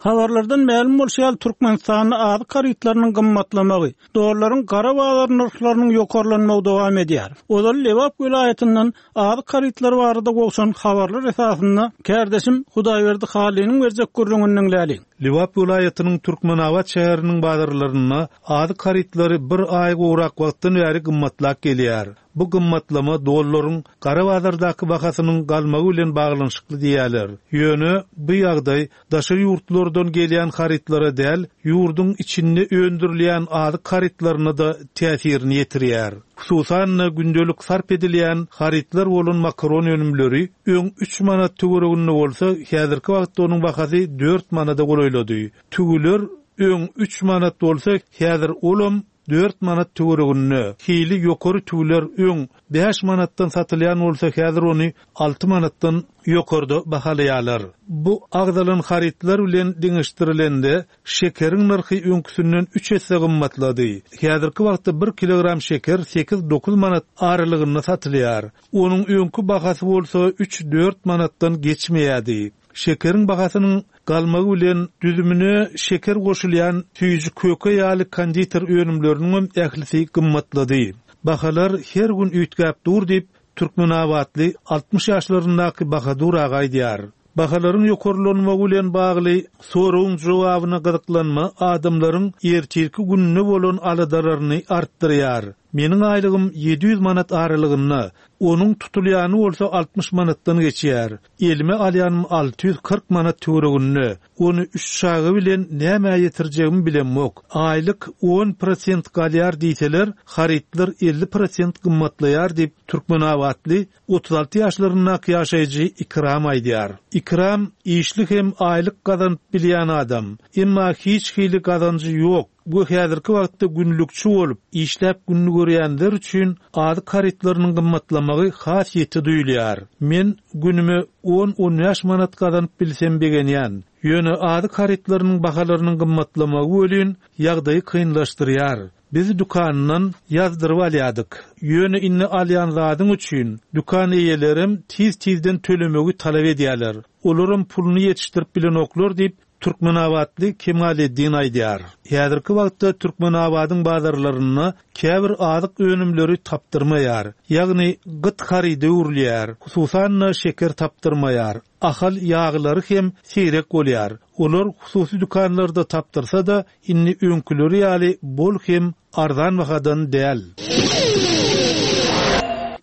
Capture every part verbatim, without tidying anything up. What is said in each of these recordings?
Habarlardan mälim bolşy ýaly, Türkmenistanda azyk harytlarynyň gymmatlamagy, dollaryň gara bazar nyrhlarynyň ýokarlanmagy dowam edýär. Ozal Lebap welaýatyndan azyk harytlary barada gowşan habarlar esasynda kärdeşim Hudaýberdi Halynyň berjek gürrüňini diňläliň. Lebap welaýatynyň Türkmenabat şäheriniň bazarlarynda azyk harytlary bir aý gowrak wagtdan bäri gymmatlap gelýär. Bu gymmatlama dollaryň gara bazardaky bahasynyň galmagy bilen baglanyşykly diýýärler. Ýöne bu ýagdaý daşary ýurtlardan gelýän harytlara däl, ýurduň içinde öndürilýän azyk harytlaryna da täsirini ýetirýär. Hususan-da gündelik sarp edilýän harytlar bolan makaron önümleri öň üç manat töwereginde bolsa, häzirki wagtda onuň bahasy dört manada golaýlady. Tüwüler öň üç manat bolsa, häzir olam dört manat töwereginde. Hili ýokary tüwüler öň bäş manatdan satylýan bolsa, häzir ony alty manatdan ýokarda bahalaýarlar. Bu agzalan harytlar bilen deňeşdirilende şekeriň nyrhy öňküsinden üç esse gymmatlady. Häzirki wagtda bir kilogram şeker sekiz dokuz manat aralygynda satylýar. Onuň öňki bahasy bolsa üç dört manatdan geçmeýärdi. Şekeriň bahasynyň galmagy bilen düzümine şeker goşulýan süýji köke ýaly konditer önümleriniň ählisi gymmatlady. Bahalar her gün üýtgäp dur diýip Türkmenabatly altmyş ýaşlaryndaky Bahadur aga aýdýar. Bahalaryň ýokarlanmagy bilen bagly soragyň jogabyna gyzyklanma adamlaryň ertirki gününe bolan aladalaryny artdyrýar. Meniň aýlygym ýedi ýüz manat aralygynda, onuň tutulýany bolsa altmyş manatdan geçýär. Elime alýanym alty ýüz kyrk manat töwereginde. Ony üç çaga bilen näme ýetirjegimi bilemok. Aýlyk on prosent galýar diýseler, harytlar elli prosent gymmatlaýar diýip Türkmenabatly otuz alty ýaşlaryndaky ýaşaýjy Ikram aýdýar. Ikram işli hem aýlyk gazanyp bilýän adam. Emma hiç hili gazanjy ýok. Bu häzirki wagtda günlükçi bolup, işläp gününi görýänler üçin azyk harytlarynyň gymmatlamagy has ýeti duýulýar. Men günüme on-on bäş manat gazanyp bilsem begenýän. Ýöne azyk harytlarynyň bahalarynyň gymmatlamagy welin ýagdaýy kynlaşdyrýar. Biz dükandan ýazdyryp alýardyk. Ýöne indi alýan zadyň üçin dükan eýelerem tiz-tizden tölemegi talap edýärler. Olaram puluny ýetişdirip bilenoklar diýip Türkmenabatly Kemaleddin aýdýar. Häzirki wagtda Türkmenabadyň bazarlarynda käbir azyk önümleri tapdyrmaýar. Ýagny gyt harydy öwrülýär. Hususan-da şeker tapdyrmaýar. Ahal ýaglary hem seýrek bolýar. Olar hususy dükanlarda tapdyrsa-da indi öňküleri ýaly bol hem arzan bahadan däl.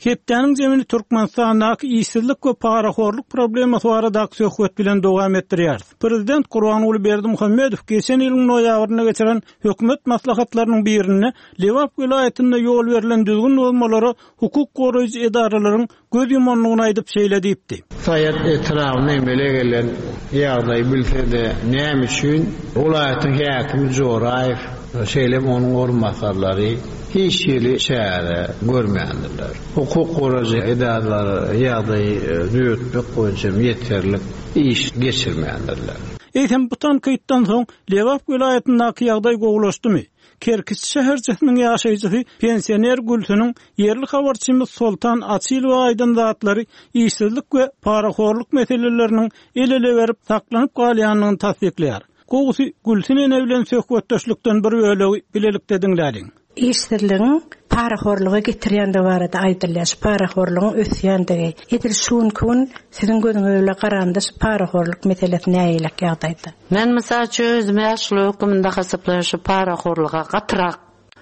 Hepdäniň zemini Türkmenistandaky işsizlik we parahorluk problemasy baradaky söhbet bilen dowam etdirýär. Prezident Gurbanguly Berdimuhamedow geçen ýylyň noýabrynda geçiren hökümet maslahatlarynyň birinde Lebap welaýatynda ýol berlen düzgün bozmalara hukuk goraýjy edaralaryň göz ýumanlygyny aýdyp şeýle diýipdi. Saýat etrabynda emele gelen ýagdaý bilse-de näme üçin welaýatyň häkimi Joraýew şeýle onuň orunbasarlary hiç hili çäre görmändirler. Hukuk goraýjy edaralar ýagdaýy düzetmek boýunça ýeterlik iş geçirmändirler. Eýsem bu tankytdan soň Lebap welaýatyndaky ýagdaý gowulaşdymy? Kerkiç şäherçesiniň ýaşaýjysy pensioner Gülsüniň ýerli habarçymyz Soltan Açylowa aýdan zatlary işsizlik we parahorluk meseleleriniň el-ele berip saklanyp galýandygyny tassyklaýar. Gowusy Gülsün ene bilen söhbetdeşlikden bir bölegi bilelikde diňläliň. Işsizligiň parahorluga getirýändigi barada aýdylýar. Şu parahorlugyň ösýändigi. Edil şu gün siziň gözüňiz bilen garanda şu parahorluk meselesi nähili ýagdaýda? Men mysal üçin özüm ýaşly höküminde hasaplaýan şu parahorluga gatyrak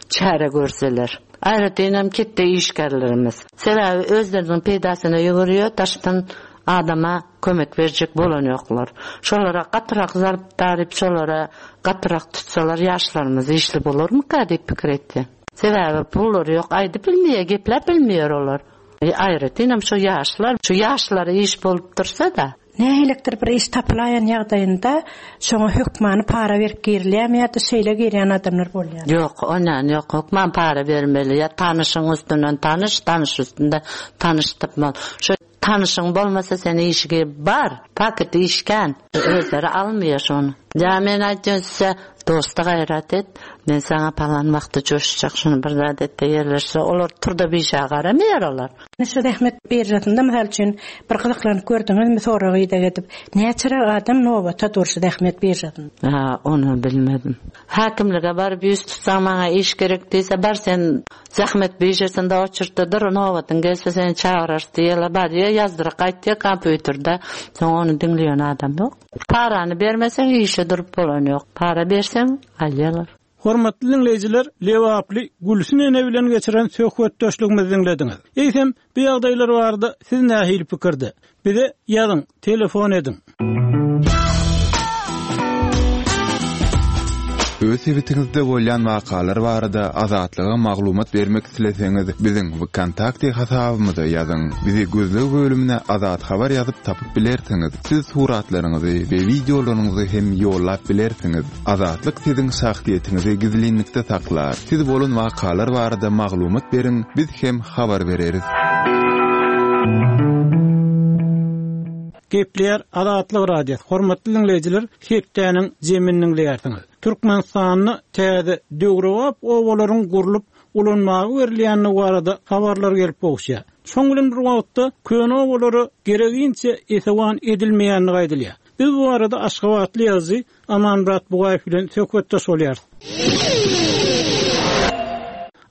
çäre görseler. Aýratyn ketde işgärlerimiz. Sebäbi özleriniň peýdasyna ýügürýär, daşdan adama kömek berjek bolan ýoklar. Şolara gatyrak zarp daryp, şolara gatyrak tutsalar ýaşlarymyz işli bolarmyka diýip pikir etdi. Sebäbi pullar ýok, aýdyp bilmeýär, gepläp bilmeýär olar. E, aýratyn hem şu ýaşlar, şu ýaşlara iş bolup dursa-da. Nähilidir bir iş tapylaýan ýagdaýynda şoňa hökmany para berip girilýärmi ýa-da şeýle girýän adamlar bolýar? Ýok, ondan ýok, hökman para bermeli. Ýa tanyşyň üstünden tanyş, tanyş üstünde tanyş tapmaly. Şu tanyşyň bolmasa sen işe bar, paket işkän, özleri almaýar şony. Ýa men aýtýan size, dosta gaýrat et, men saňa palan wagtda joşjak, şuny bir zat et ýerleşse, olar turda bir garamaýar olar. Şu zähmet biržasynda mysal üçin bir gyzyklanyp gördüňizmi soragy ideg edip, näçe adam nobata dur şu zähmet biržasynda? Ha, onu bilmedim. Hakimlige baryp ýüz tutsaň maňa iş gerek diýse, bar sen zähmet biržasynda oçurtda dur, nobatyň gelse seni çagyrar diýýärler. Bar diýýär, ýazdyryp gaýtýar kompýuterde. Soň ony diňleýän adam ýok. Parany bermeseň işe durup bolan ýok. Para berseň alýarlar. Hormatly dinleýjiler, Lebaply Gülsün ene bilen geçiren söhbetdeşligimizi dinlediňiz. Eýsem, bu ýagdaýlar barada siz nähili pikirde? Bize ýazyň, telefon ediň. Öz sebitiňizde bolýan wakalar barada Azatlyga maglumat bermek isleseňiz, biziň VKontakte hasabymyza ýazyň. Bizi gözleg bölümine Azat Habar ýazyp tapyp bilersiňiz. Siz suratlaryňyzy we wideolaryňyzy hem ýollap bilersiňiz. Azatlyk siziň şahsyýetiňizi gizlinlikde saklar. Siz bolan wakalar barada maglumat beriň, biz hem habar bereris. Gepler Azatlyk Radiosy. Hormatly dinleýjiler, hepdäniň jemini dinleýärsiňiz. Türkmenistanda täze döwrebap obalaryň gurlup ulanmaga berilýändigi barada habarlar gelip gowuşýar. Şoň bilen bir wagtda köne obalara gereginçe esewan edilmeýändigi aýdylýar. Biz bu arada Aşgabatly ýazyjy Amanmyrat Bugaýew bilen söhbetdeş bolýarys.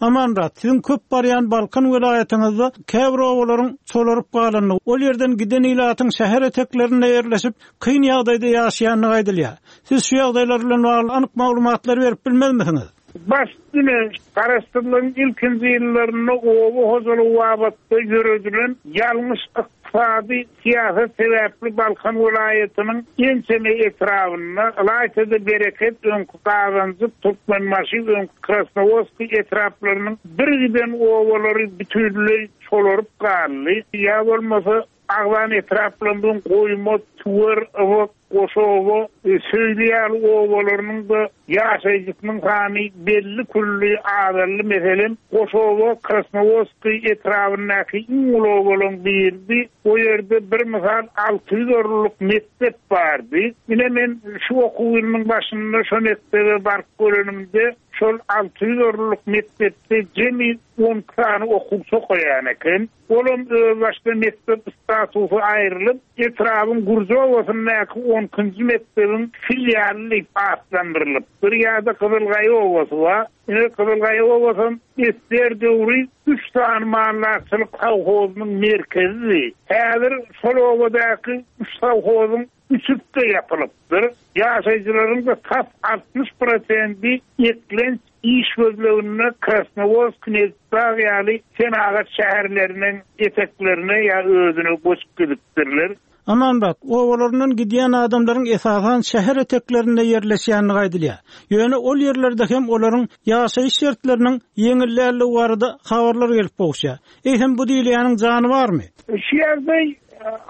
Amanmyrat, siziň köp barýan Balkan welaýatyňyzda käbir obalaryň çolaryp galandygy, ol ýerden giden ilatyň şäher eteklerinde ýerleşip, kyn ýagdaýda ýaşaýandygy aýdylýar. Siz şu ýagdaýlar bilen bagly anyk maglumatlary berip bilmezmisiňiz? Baş üstüne Garaşsyzlygyň ilkinji ýyllarynda oba hojalygy babatda ýöredilen ýalňyş ykdysady syýasat sebäpli Balkan welaýatynyň ençeme etrabynda ylaýta-da Bereket, öňki Gazanjyk, Türkmenbaşy, öňki Krasnowodsk etraplarynyň bir giden obalary bütünleý çolaryp galdy. Ýa bolmasa Agzan etraplarynyň Goýma, Tüwer, Ybyk, Goşowa, Söýli ýaly obalarynyň da ýaşaýjysynyň sany belli külli azaldy. Meselem, Goşowa Krasnowodsk etrabyndaky iň uly obalaryň biridi. O ýerde bir mysal alty ýüz orunlyk mekdep bardy. Ine men şu okuw ýylynyň başynda şo mekdebe baryp görenimde şol alty ýüz orunlyk mekdepde jemi on sany okuwçy okaýan eken. Olam özbaşda mekdep statusy aýrylyp, etrabın Gurjowasyndaky on ikinji mekdebiň filialy diýip atlandyrylyp, bir ýerde Gyzylgaýa obasy bar. Ine Gyzylgaýa obasy Ester döwri üç sany maldarçylyk sowhozynyň merkezi. Häzir şol obadaky üç sowhozyň üçüsi ýapylypdyr. Ýaşaýjylaryň da tas altmyş prosenti eklenç iş gözleginde Krasnowodsk, Nebitdag ýaly senagat şäherleriniň eteklerine ýa özüne göçüp gidipdirler. Amanmyrat, obalaryndan gidýän adamlaryň esasan şäher eteklerinde ýerleşýändigi aýdylýar. Ýöne ol ýerlerde hem olaryň ýaşaýyş şertleriniň ýeňilländigi barada habarlar gelip gowuşýar. Eýsem bu diýilýäniň jany barmy? Şu ýerde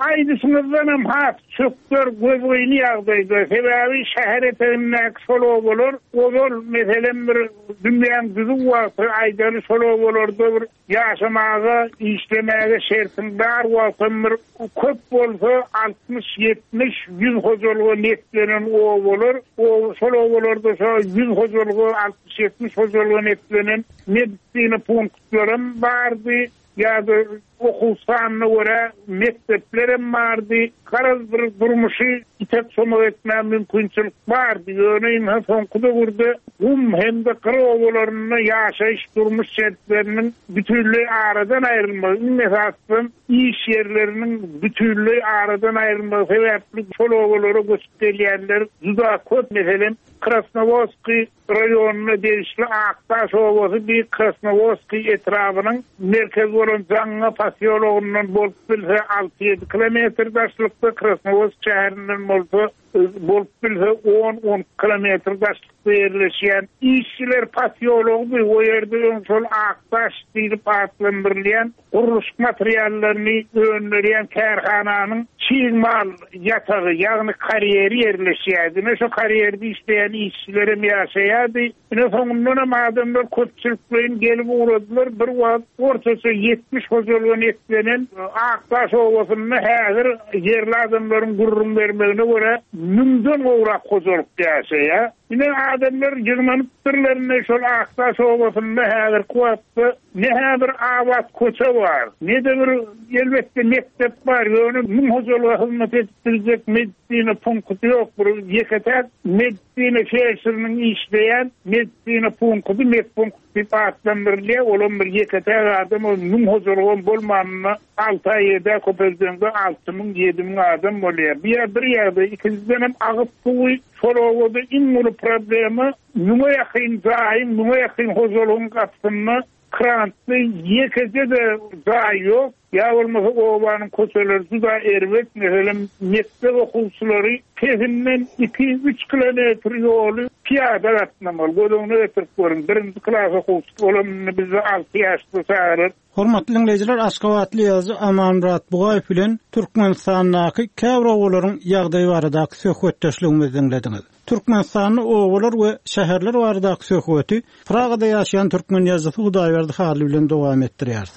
aýdyşyňyzdan hem has çökder gözgyny ýagdaýda. Sebäbi şäher etegindäki şol obalar ozal meselem bir dünýäň düzüw wagty aýdaly şol obalarda bir ýaşamaga, işlemäge şertiň bar wagtam bir köp bolsa altmyş, ýetmiş, ýüz hojalyga netlenen obalar, o şol obalarda şo ýüz hojalyga, altmyş, ýetmiş hojalyga netlenen medisina punktlarym bardy. Ýa-da okuw sanyna görä mekdeplerem bardy. Garaz bir durmuşy itek somak etmäge mümkinçilik bardy. Ýöne indi soňky döwürde gum hem-de gyr obalarynda ýaşaýyş durmuş şertleriniň bütünleý aradan aýrylmagy, iň esasy iş ýerleriniň bütünleý aradan aýrylmagy sebäpli şol obalara göçüp gelýänler juda köp. Meselem, Krasnowodsk raýonyna degişli Akdaş obasy bir Krasnowodsk etrabynyň merkezi bolan Jaňňa posýologyndan bolup bilse alty ýedi kilometr daşlykda, Krasnowodsk şäherinden bolsa bolup bilse on on kilometr daşlykda ýerleşýän işçiler posýology o ýerde öň şol Akdaş diýlip atlandyrylýan gurluşyk materiallaryny öndürýän kärhananyň çig mal ýatagy, ýagny karýeri ýerleşýärdi. Ine şo karýerde işleýän işçilerem ýaşaýardy. Ine soňundanam adamlar köpçülikleýin gelip ugradylar. Bir wagt ortaça ýetmiş hojalyga eklenen Akdaş obasynda häzir ýerli adamlaryň gürrüň bermegine görä müňden gowrak hojalyk ýaşaýar. Ine adamlar ýygnanypdyrlar ine şol Akdaş obasynda häzirki wagtda ne-hä bir abat köçe bar, ne-de bir elbetde mekdep bar, ýöne müň hojalyga hyzmat edip biljek medisina punkty ýok. Bir ýeke-täk medisina felşeriniň işleýän medisina punkty, medpunkt diýip atlandyrylýar. Olam bir ýeke-täk adam, ol müň hojalygam bolmanynda alty aý ýedi köpeldeňde alty müň, ýedi müň adam bolýar. Bir ýer bir ýagdaý, ikinjiden hem agyz suwy şol obada iň uly problema müňe ýakyn jaýyň, müňe ýakyn hojalygyň gapysynda krantly ýekeje-de jaý ýok. Ýa bolmasa obanyň köçeleri juda erbet, meselem, mekdep okuwçylary pesinden iki, üç kilometr ýoly pyýada gatnamaly. Göz öňüne getirip görüň, birinji klas okuwçysy olam indi bizde alty ýaşly çagalar. Hormatly diňleýjiler, Aşgabatly ýazyjy Amanmyrat Bugaýew bilen Türkmenistandaky käbir obalaryň ýagdaýy baradaky söhbetdeşligimizi diňlediňiz. Türkmenistanda obalar we şäherler baradaky söhbeti Pragada ýaşaýan türkmen ýazyjysy Hudaýberdi Hally bilen dowam etdirýäris.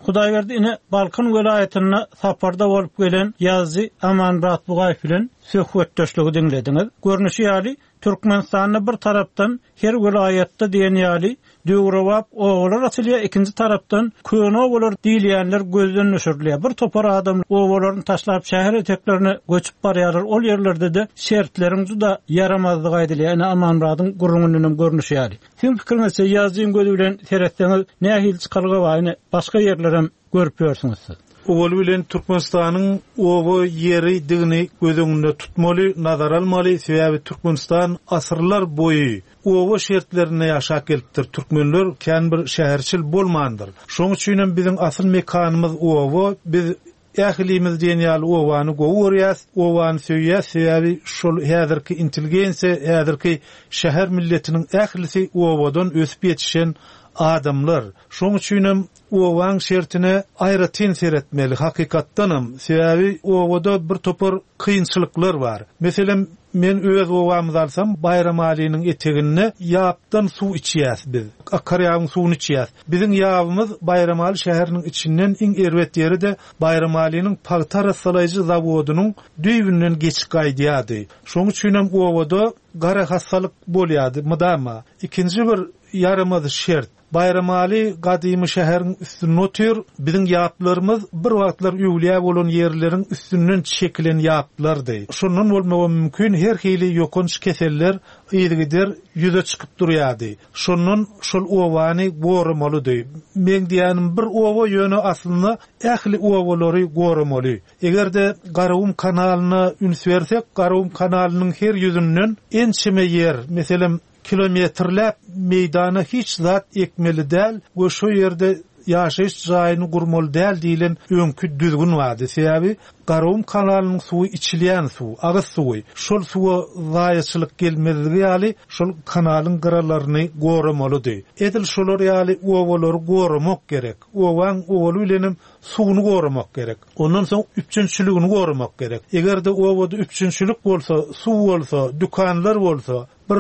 Hudaýberdi ine Balkan welaýatynda saparda bolup gelen ýazyjy Amanmyrat Bugaýew bilen söhbetdeşligi diňlediňiz. Görnüşi ýaly Türkmenistanda bir tarapdan her welaýatda diýen ýaly döwrebap obalar açylýar, ikinji tarapdan köne obalar diýilýänler gözden düşürilýär. Bir topar adam obalaryny taşlap şäher eteklerine göçüp barýarlar. Ol ýerlerde de şertleriň juda ýaramazlygy aýdylýar. Ine Amanmyradyň gürrüňinden hem görnüşi ýaly. Siziň pikiriňizçe ýazyjyň gözi bilen seretseňiz nähili çykalga bar? Ine başga ýerlerem görüp ýörsüňiz siz. Owaly bilen Türkmenistanyň oba ýeridigini göz öňünde tutmaly, nazar almaly. Sebäbi Türkmenistan asyrlar boýy oba şertlerinde ýaşap gelipdir. Türkmenler kän bir şäherçil bolmandyr. Şonuň üçin hem biziň asyl mekanymyz oba. Biz ählimiz diýen ýaly obany gowy görýäs, obany söýýäs. Sebäbi şol häzirki intelligensiýa, häzirki şäher milletiniň ählisi obadan ösüp ýetişen adamlar. Şonuň üçin hem obaň şertine aýratyn seretmeli hakykatdanam. Sebäbi obada bir topar kynçylyklar bar. Meselem, men öz obamyzy alsam, Baýramalynyň eteginde ýapdan suw içýäs biz. Akarýabyň suwuny içýäs. Biziň ýabymyz Baýramaly şäheriniň içinden iň erbet ýeri-de Baýramalynyň pagta arassalaýjy zawodynyň düýbünden geçip gaýdýardy. Şonuň üçin hem obada gara hastalyk bolýardy mydama. Ikinji bir ýaramaz şert, Baýramaly gadymy şäheriň üstünde otyr. Biziň ýaplarymyz bir wagtlar öwlüýä bolan ýerleriň üstünden çekilen ýaplardy. Şondan bolmagy mümkin her hili ýokanç keseller yzygider ýüze çykyp durýardy. Şondan şol obany goramalydy. Men diýenim bir oba ýöne aslynda ähli obalary goramaly. Eger-de Garagum kanalyna üns bersek, Garagum kanalynyň her ýüzünden ençeme ýer, meselem kilometrläp meýdana hiç zat ekmeli däl we şo ýerde ýaşaýyş jaýyny gurmaly däl diýlen öňki düzgün bardy. Sebäbi Garagum kanalynyň suwy içilýän suw, agyz suwy. Şol suwa zaýaçylyk gelmezligi ýaly şol kanalyň gyralaryny goramalydy. Edil şolar ýaly obalary goramak gerek. Obaň owaly bilenem suwuny goramak gerek. Ondan soň üpjünçiligini goramak gerek. Eger-de obada üpjünçilik bolsa, suw bolsa, dükanlar bolsa, bir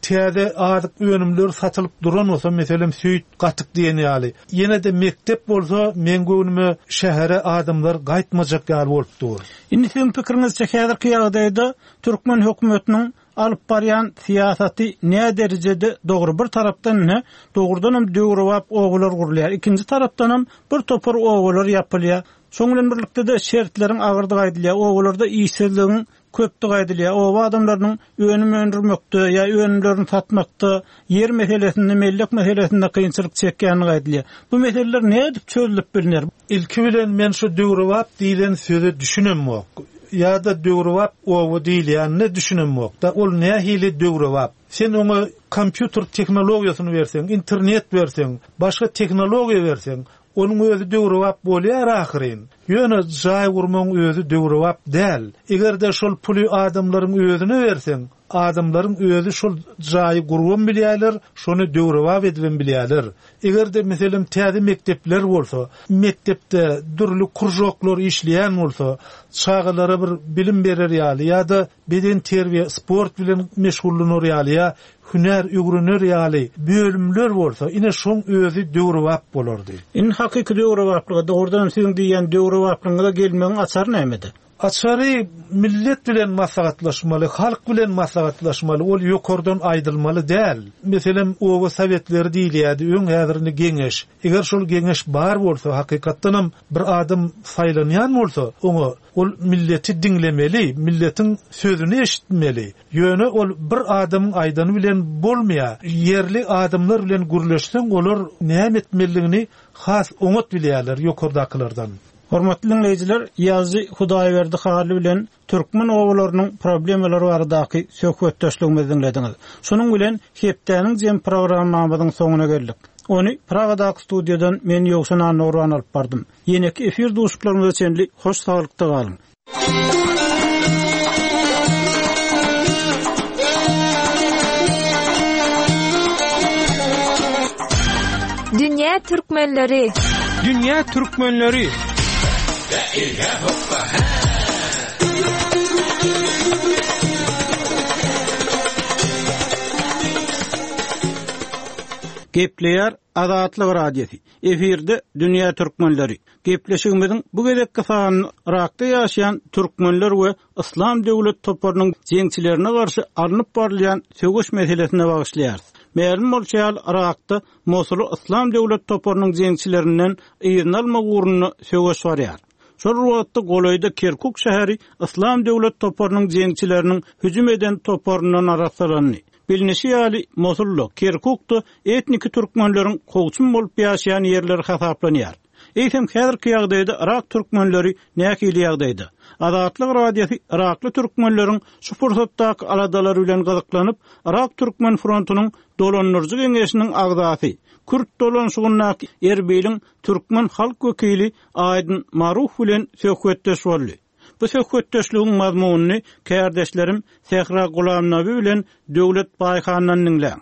täze azyk önümleri satylyp duran bolsa, meselem süýt, gatyk diýen ýaly. Ýene-de mektep bolsa, men göwnüme şähere adamlar gaýtmajak ýaly bolup dur. Indi siziň pikiriňizçe häzirki ýagdaýda türkmen hökümetiniň alyp barýan syýasaty nä derejede dogry? Bir tarapdan ne dogrudan hem döwrebap obalar gurulýar. Ikinji tarapdan hem bir topar obalar ýapylýar. Şonuň bilen birlikde de şertleriň agyrdygy aýdylýar. Obalarda işsizligiň köpdügi aýdylýar. Oba adamlarynyň önüm öndürmekde ýa önümlerini satmakda, ýer meselesinde, mellek meselesinde kynçylyk çekýänligi aýdylýar. Bu meseleler nädip çözülip bilner? Ilki bilen men şu döwrebap diýlen söze düşünemok. Ýa-da döwrebap oba diýilýänine düşünemok da, ol nähili döwrebap? Sen oňa kompýuter tehnologiýasyny berseň, internet berseň, başga tehnologiýa berseň, onuň özi döwrebap bolýar ahyryn. Ýöne jaý gurmagyň özi döwrebap däl. Eger-de şol puly adamlaryň özüne berseň, Adamlaryň özi şol jaýy gurubam bilýärler, şony döwrebap edibem bilýärler. Eger-de meselem täze mekdepler bolsa, mekdepde dürli kurjoklar işleýän bolsa, çagalara bir bilim berer ýaly ýa-da beden terbiýe, sport bilen meşgullanor ýaly ýa hünär öwrener ýaly bölümler bolsa, ine şoň özi döwrebap bolardy. In hakyky döwrebaplyga dogrudan siziň diýen döwrebaplygyňyza gelmegiň açary nämede? Açary millet bilen maslahatlaşmaly, halk bilen maslahatlaşmaly, ol ýokardan aýdylmaly däl. Meselem, oba sowetleri diýilýärdi, öň häzirini geňeş. Eger şol geňeş bar bolsa, hakykatdanam bir adam saýlanýan bolsa, oňa ol milleti diňlemeli, milletiň sözüni eşitmeli. Ýöne ol bir adamyň aýdany bilen bolmaýar. Ýerli adamlar bilen gürleşseň, olar näme etmelidigini has oňat bilýärler ýokardakylardan. Hormatly dinleýjiler, Ýazy Hudaýberdi Hally bilen türkmen obalarynyň problemalary baradaky söhbetdeşligimizi dinlediňiz. Şunuň bilen hepdäniň jem programmamyzyň soňuna geldik. Ony Pragadaky studiýadan men Ýowşan Annurwan alyp bardym. Ýeneki efir duşuşyklarymyza çenli hoş saglykda galyň. Dünýä türkmenleri. Dünýä türkmenleri. Gepleýär Azatlyk Radiosy. Efirde Dünýä Türkmenleri. Gepleşigimiziň bu gezekki sanyny Irakda ýaşaýan türkmenler we Yslam döwlet toparynyň jeňçilerine garşy alnyp barylýan söweş meselesine bagyşlaýarys. Mälim bolşy ýaly Irakda Mosuly Yslam döwlet toparynyň jeňçilerinden yzyna almak ugrunda söweş barýar. Şol wagtda golaýda Kerkuk şäheri Yslam döwlet toparynyň jeňçileriniň hüjüm eden toparyndan arassalandy. Bilinişi ýaly Mosulda, Kerkukda etniki türkmenleriň kowçum bolup ýaşaýan ýerleri hasaplanýar. Eýsem häzirki ýagdaýda Irak türkmenleri nähili ýagdaýda? Azatlyk Radiosy Irakly türkmenleriň şu pursatdaky aladalary bilen gyzyklanyp, Irak Türkmen frontunyň dolandyryjy geňeşiniň agzasy, Kürt dolanşygyndaky Erbiliň türkmen halk wekili Aýdyn Maruf bilen söhbetdeş boldy. Bu söhbetdeşligiň mazmunyny kärdeşlerim Sähra Gulamnabi bilen Döwlet Baýhandan diňläň.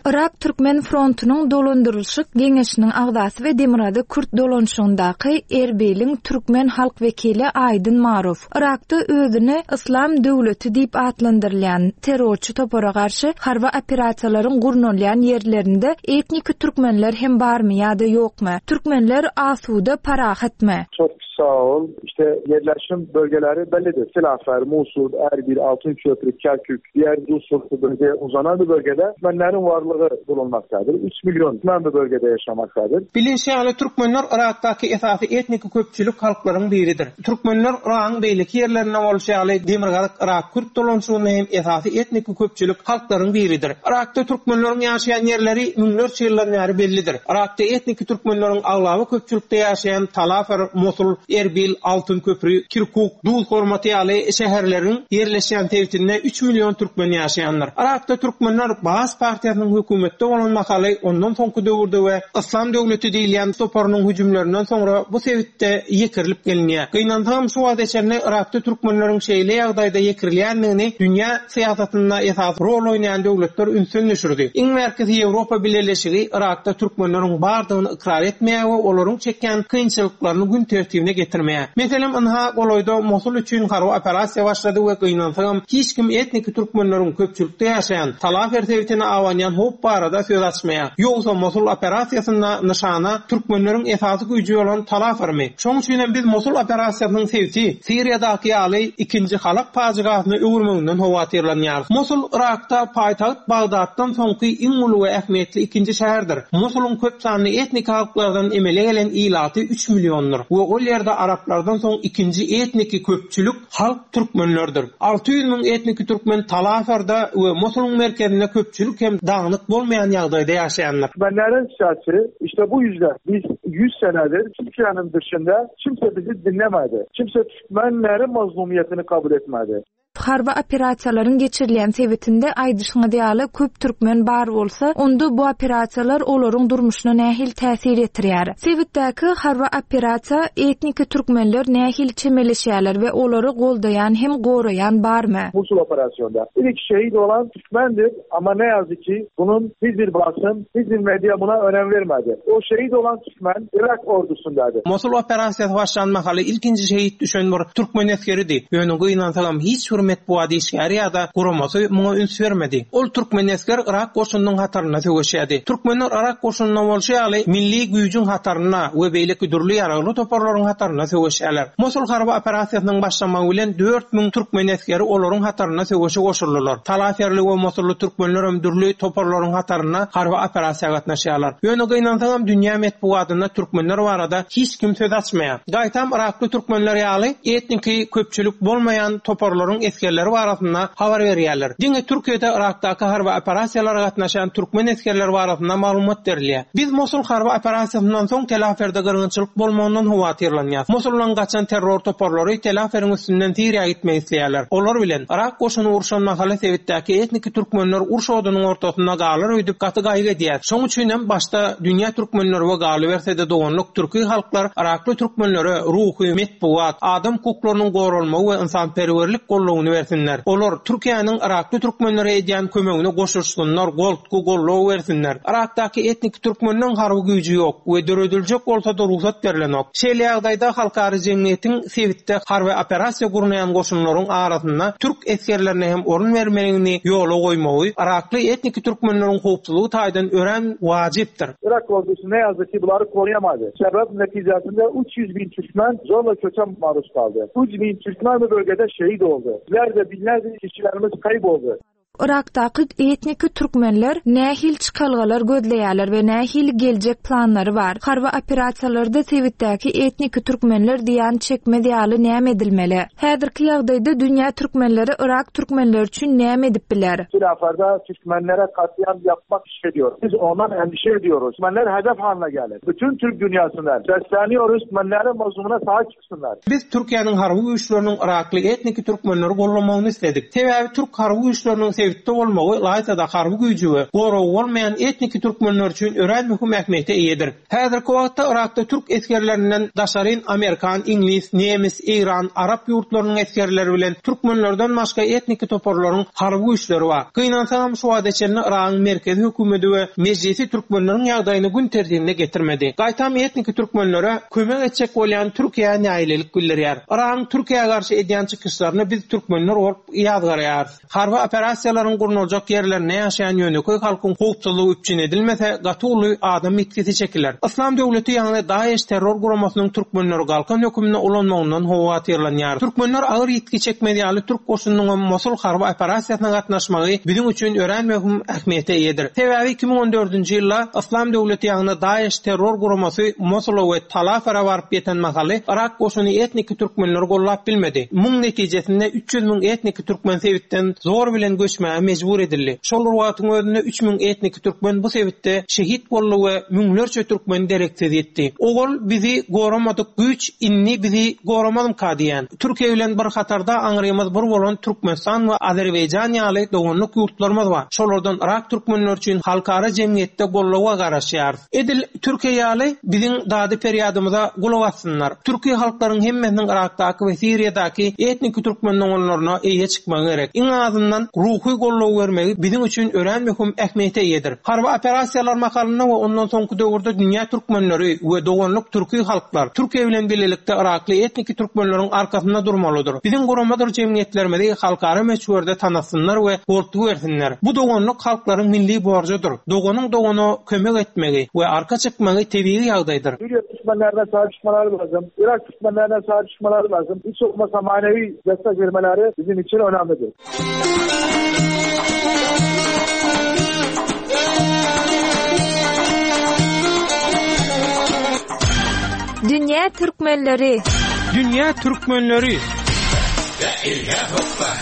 Irak Türkmen frontunyň dolandyrylyşyk geňeşiniň agzasy we Demirgazyk Kürt dolanşygyndaky Erbiliň türkmen halk wekili Aýdyn Maruf Irakda özüni Yslam döwleti diýip atlandyrylýan terrorçy topara garşy harby operasiýalaryň gurnalýan ýerlerinde etnik türkmenler hem barmy ýa-da ýokmy? Türkmenler asuda parahatmy? Çok sağ ol. İşte yerleşim bölgeleri bellidir. Silahlar, Musul, Erbil, Altınköprü, Kerkük, diğer Dusurtu bölgeye uzanan bir bölgede Türkmenlerin varlığı bulunmaktadır. üç milyon Türkmen bu bölgede yaşamaktadır. Bilinşi ýaly türkmenler Irakdaky esasy etnik köpçülik halklaryň biridir. Türkmenler Iragyň beýleki ýerlerinde bolşy ýaly Demirgazyk Irak Kürt dolanşygyny hem esasy etnik köpçülik halklaryň biridir. Irakda türkmenleriň ýaşaýan ýerleri müňlerçe ýyldan bäri bellidir. Irakda etnik türkmenleriň aglaby köpçülikde ýaşaýan Talafer, Mosul, Erbil, Altınköprü, Kirkuk, Duz hormaty ýaly şäherleriň ýerleşýän sebitinde üç milyon türkmen ýaşaýanlar. Irakda türkmenler Baas partiýasynyň hökümetde bolan mahaly ondan soňky döwürde we Yslam döwleti diýilýän toparynyň hüjümlerinden soňra bu sebitde ýekirilip gelinýär. Gynansam şu wagt içinde Irakda türkmenleriň şeýle ýagdaýda ýekirilýändigini dünýä syýasatynda esas rol oýnaýan döwletler ünsden düşürdi. Iň merkezi Ýewropa Bileleşigi Irakda türkmenleriň bardygyny ykrar etmeýär we olaryň çekýän kynçylyklaryny gün tertibine getirmeýär. Meselem, ynha golaýda Mosul üçin harby operasiýa başlady we gynansam hiç kim etnik türkmenleriň köpçülikde ýaşaýan Talafer sebitine awanýan howp barada söz açmaýar. Ýogsa Mosul operasiýasynda nyşana türkmenleriň esasy güýji bolan Talafermi? Şoň üçin hem biz Mosul operasiýasynyň sebiti Siriýadaky ýaly ikinji Halap pajygasyna öwürmeginden howatyrlanýar. Mosul Irakda paýtagt Bagdatdan soňky iň uly we ähmiýetli ikinji şäherdir. Mosulyň köp sanly etnik halklardan emele gelen ilaty üç milliondyr we ol ýerde araplardan soň ikinji etniki köpçülik halk türkmenlerdir. alty ýüz müň etniki türkmen Talaferda we Mosulyň merkezinde köpçülik hem dagnyk bolmaýan ýagdaýda ýaşaýanlar. Türkmenlerin sesi işte bu yüzden biz yüz senedir Türkiye'nin dışında kimse bizi dinlemedi. Kimse Türkmenlerin mazlumiyetini kabul etmedi. Harby operasiýalaryň geçirilýän sebitinde aýdyşyňyz ýaly köp türkmen bar bolsa, onda bu operasiýalar olaryň durmuşyna nähili täsir ýetirýär? Sebitdäki harby operasiýa etniki türkmenler nähili çemeleşýärler we olary goldaýan hem goraýan barmy? Musul operasyonda. İlk şehit olan Türkmendir ama ne yazık ki bunun hiçbir basın, hiçbir medya buna önem vermedi. O şehit olan Türkmen Irak ordusundaydı. Mosul operasiýasy başlan mahaly ilkinji şehit düşen bir türkmen esgeridi. Ýöne gynansagam hiç bir metbugat işgäri ýa-da guramasy muňa üns bermedi. Ol türkmen esger Irak goşunynyň hatarynda söweşýärdi. Türkmenler Irak goşunynda bolşy ýaly milli güýjüň hatarynda we beýleki dürli ýaragly toparlaryň hatarynda söweşýärler. Mosul harby operasiýasynyň başlamagy bilen dört müň türkmen esgeri olaryň hatarynda söweşe goşuldylar. Talaferli we Mosully türkmenler hem dürli toparlaryň hatarynda harby operasiýa gatnaşýarlar. Ýöne gynansagam dünýä metbugatynda türkmenler barada hiç kim söz açmaýar. Gaýtam Irakly türkmenler ýaly etniki köpçülik bolmaýan toparlaryň esgerleri barasynda habar berýärler. Diňe Türkiýede Irakdaky harby operasiýalara gatnaşan türkmen esgerleri barasynda maglumat berilýär. Biz Mosul harby operasiýasyndan soň Telaferde gyrgynçylyk bolmagyndan howatyrlanýarys. Mosuldan gaçan terror toparlary Telaferiň üstünden Siriýa gitmek isleýärler. Olar bilen Irak goşuny urşan mahaly sebitdäki etniki türkmenler uruş odunyň ortasynda galar öýdüp gaty gaýgy edýär. Şoň üçin hem başda dünýä türkmenleri we galyberse-de doganlyk türki halklar Irakly türkmenlere ruhy, metbugat, adam hukuklarynyň goralmagy we ynsanperwerlik goldawyny bersinler. Olar Türkiýäniň Irakly türkmenlere edýän kömegini goşulsunlar, goltgy goldaw bersinler. Irakdaky etnik türkmenlerin harby güýji ýok we dörediljek bolsa-da rugsat berilenok. Şeýle ýagdaýda halkara jemgyýetiň sebitde harby operasiýa gurnaýan goşunlaryň arasynda türk esgerlerine hem orun bermegini ýola goýmagy Irakly etnik türkmenleriň howpsuzlygy taýdan örän wajypdyr. Irak ordusu ne yazık ki bunları koruyamadı. Sebep neticesinde üç yüz bin Türkmen zorla köçe maruz kaldı. üç bin Türkmen bu bölgede şehit oldu. Binlerce, binlerce kişilerimiz kayboldu. Irakdaky etniki türkmenler nähili çykalgalar gözleýärler we nähili geljek planlary bar? Harby operasiýalarda sebitdäki etniki türkmenler diýen çekmez ýaly näme edilmeli? Häzirki ýagdaýda dünýä türkmenleri Irak türkmenleri üçin näme edip biler? Tilaferda türkmenlere katliam yapmak istediyor. Biz ondan endişe ediyoruz. Türkmenler hedef haline geldi. Bütün Türk dünyasından sesleniyoruz. Türkmenlerin mazlumuna sahip çıksınlar. Biz Türkiye'nin harby güýçleriniň Irakly etniki türkmenleri gollamagyny istedik. Sebäbi Türk harby güýçleriniň sebitde bolmagy Laýtada harby güýji we goragy bolmaýan etniki türkmenler üçin örän möhüm ähmiýete eýedir. Häzirki wagtda Irakda türk esgerlerinden daşaryn Amerikan, Iňlis, Nemes, Eýran, Arap ýurtlarynyň esgerleri bilen türkmenlerden başga etniki toparlaryň harby güýçleri bar. Gynansagam şu wagta çenli Iragyň merkezi hökümeti we mejlisi türkmenleriň ýagdaýyny gün tertibine getirmedi. Gaýtam etniki türkmenlere kömek etjek bolýan Türkiýä nägilelik bildirýär. Iragyň Türkiýä garşy edýän çykyşlaryny biz türkmenler bolup ýazgarýarys. Harby operasiýalaryň gurnaljak ýerlerinde ýaşaýan ýönekeý halkyň howpsuzlygy üpjün edilmese, gaty uly adam ýitgisi çekiler. Islam döwleti ýagny DAEŞ terror guramasynyň türkmenleri galkan hökümine ulanmagyndan howatyrlanýar. Türkmenler agyr ýitgi çekmez ýaly türk goşunynyň Mosul harby operasiýasyna gatnaşmagy biziň üçin örän möhüm ähmiýete eýedir. Sebäbi iki müň on dördünji ýylda Islam döwleti ýagny DAEŞ terror guramasy Mosula we Talafara baryp ýeten mahaly Irak goşuny etniki türkmenleri gollap bilmedi. Muň netijesinde üç ýüz müň etniki türkmen sebitden zor bilen göçmäge mejbur edildi. Şol wagtyň özünde üç müň etniki türkmen bu sebitde şehit boldy we müňlerçe türkmen dereksiz ýetdi. Ogul bizi goramadyk güýç inni bizi goramazmyka diýen. Türkiýe bilen bir hatarda aňrymyz bir bolan Türkmenistan we Azerbaýjan ýaly doganlyk ýurtlarymyz bar. Şolardan Irak türkmenler üçin halkara jemgyýetde goldawa garaşýar. Edil Türkiýe ýaly biziň dady perýadymyza gulak assynlar. Türkiýe halklaryň hemmesiniň Irakdaky we Siriýadaky etniki türkmen doganlaryna eýe çykmagy gerek. Iň azyndan ruhy goldaw bermegi biziň üçin örän möhüm ähmiýete eýedir. Harby operasiýalar mahalynda we ondan soňky döwürde dünýä türkmenleri we doganlyk türki halklar Türkiýe bilen birlikde Irakly etniki türkmenleriň arkasynda durmalydyr. Biziň guramadyr jemgyýetlerimizi halkara möçberde tanasynlar we goltgy bersinler. Bu doganlyk halklaryň milli borjudyr. Doganyň dogana kömek etmegi we arka çykmagy tebigy ýagdaýdyr. Suriye Türkmenlerine sahip çıkmaları lazım. Irak Türkmenlerine sahip çıkmaları lazım. Hiç olmazsa manevi destek vermeleri bizim için önemlidir. Dünya Türkmenleri. Dünya Türkmenleri. La ilahe illallah.